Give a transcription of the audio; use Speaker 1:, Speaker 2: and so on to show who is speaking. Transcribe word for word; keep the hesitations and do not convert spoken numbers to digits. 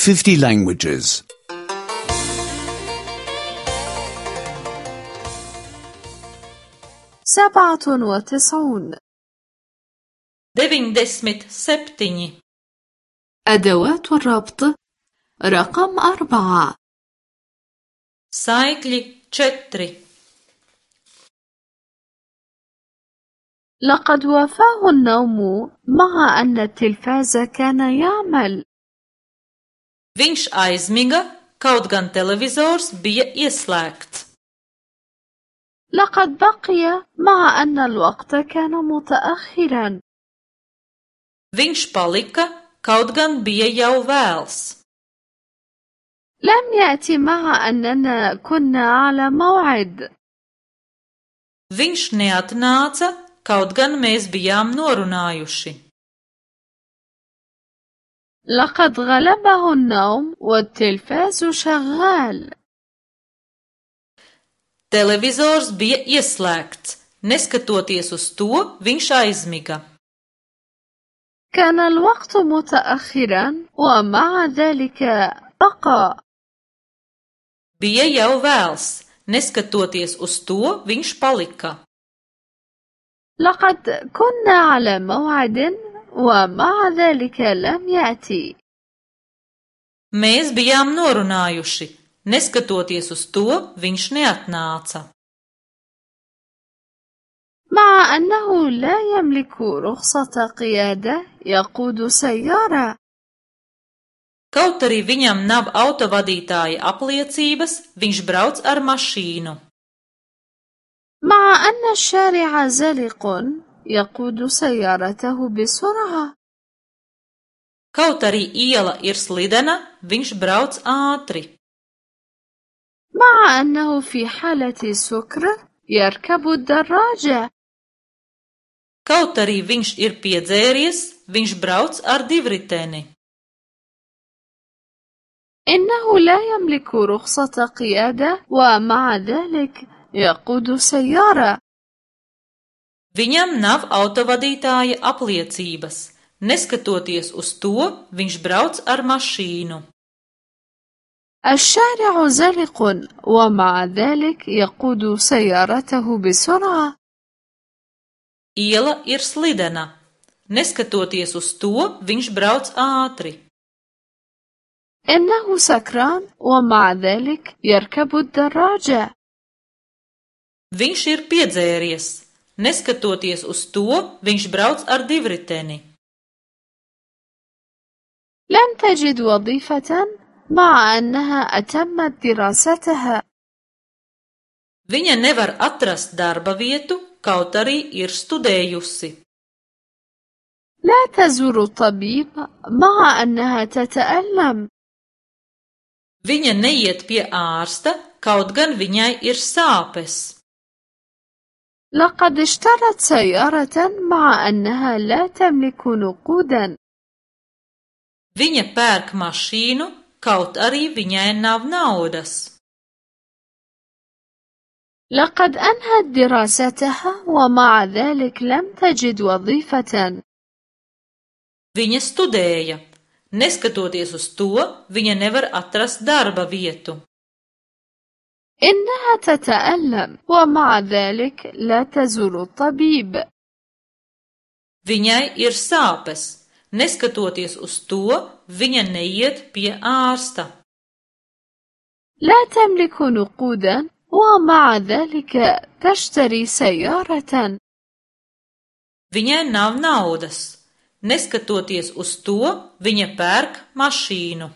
Speaker 1: fifty languages.
Speaker 2: سبعة وتسعون.
Speaker 3: deviņdesmit septiņi.
Speaker 2: أدوات الربط رقم أربعة.
Speaker 3: saikļi četri.
Speaker 2: لقد وافاه النوم مع أن التلفاز كان يعمل.
Speaker 3: Viņš aizmiga, kaut gan televizors bija ieslēgts.
Speaker 2: لقد بقي مع أن الوقت كان متأخرا.
Speaker 3: Viņš palika, kaut gan bija jau vēls.
Speaker 2: لم يأتي مع أننا كنا على موعد.
Speaker 3: Viņš neatnāca, kaut gan mēs bijām norunājuši.
Speaker 2: لقد غلبه النوم والتلفاز شغال.
Speaker 3: Televizors bija ieslēgts. Neskatoties uz to, viņš aizmiga.
Speaker 2: كان الوقت متأخرا ومع ذلك بقى.
Speaker 3: Bija jau vēls. Neskatoties uz to, viņš palika.
Speaker 2: لقد كنا على موعد ومع ذلك لم يأتي.
Speaker 3: Mēs bijām norunājuši. Neskatoties uz to, viņš neatnāca.
Speaker 2: مع أنه لا يملك رخصة قيادة يقود سيارة.
Speaker 3: Kaut arī viņam nav autovadītāja apliecības, viņš brauc ar mašīnu.
Speaker 2: مع أن الشارع زلق يقود سيارته بسرعة.
Speaker 3: Kaut arī iela ir slidena, viņš brauc ātri.
Speaker 2: مع أنه في حالة سكر يركب الدراجة.
Speaker 3: Kaut arī viņš ir piedzēries, viņš brauc ar divriteni.
Speaker 2: إنه لا يملك رخصة قيادة ومع ذلك يقود سيارة.
Speaker 3: Viņam nav autovadītāja apliecības. Neskatoties uz to, viņš brauc ar mašīnu.
Speaker 2: الشارع زلق ومع ذلك يقود سيارته بسرعة.
Speaker 3: Iela ir slidena. Neskatoties uz to, viņš brauc ātri.
Speaker 2: إنه سكران ومع ذلك يركب الدراجة.
Speaker 3: Viņš ir piedzēries. Neskatoties uz to, viņš brauc ar divriteni.
Speaker 2: لم تجد وظيفة مع أنها أتمت دراستها.
Speaker 3: Viņa nevar atrast darba vietu, kaut arī ir studējusi.
Speaker 2: لا تزور الطبيب مع أنها تتألم.
Speaker 3: Viņa neiet pie ārsta, kaut gan viņai ir sāpes.
Speaker 2: لقد اشترت سيارة مع أنها لا تملك نقودا.
Speaker 3: Viņa pērk mašīnu, kaut arī viņai nav naudas.
Speaker 2: لقد أنهت دراستها ومع ذلك لم تجد وظيفة.
Speaker 3: Viņa studēja. Neskatoties uz to, viņa nevar atrast darba vietu.
Speaker 2: إنها تتألم ومع ذلك لا تزور الطبيب.
Speaker 3: Viņai ir sāpes. Neskatoties uz to, viņa neiet pie ārsta.
Speaker 2: لا تملك نقودا ومع ذلك تشتري سيارة.
Speaker 3: Viņai nav naudas. Neskatoties uz to, viņa pērk mašīnu.